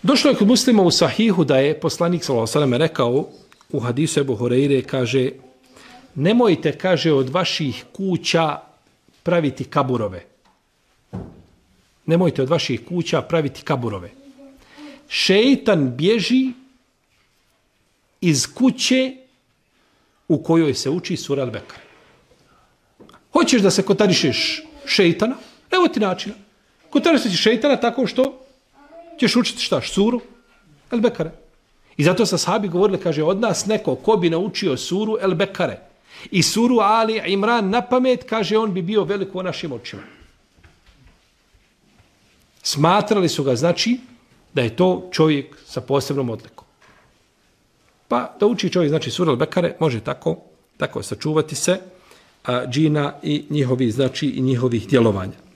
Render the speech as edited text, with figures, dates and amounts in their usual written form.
Došlo je kod Muslima u Sahihu da je poslanik sallallahu alejhi ve sellem rekao u hadisu Ebu Hurajre, kaže, nemojte, kaže, od vaših kuća praviti kaburove. Nemojte od vaših kuća praviti kaburove. Šeitan bježi iz kuće u kojoj se uči sura Al-Bekare. Hoćeš da se kotarišeš šeitana? Evo ti načina. Kotarišeš šeitana tako što ćeš učiti šta? Suru Al-Bekare. I zato sa sahabi govorili, kaže, od nas neko ko bi naučio suru Al-Bekare i suru Ali Imran na pamet, kaže, on bi bio veliko u našim očima. Smatrali su ga, znači, da je to čovjek sa posebnom odlikom. Pa da uči čovjek, znači, suru Al-Bekare, može tako sačuvati se džina i njihovi, znači, i njihovih djelovanja.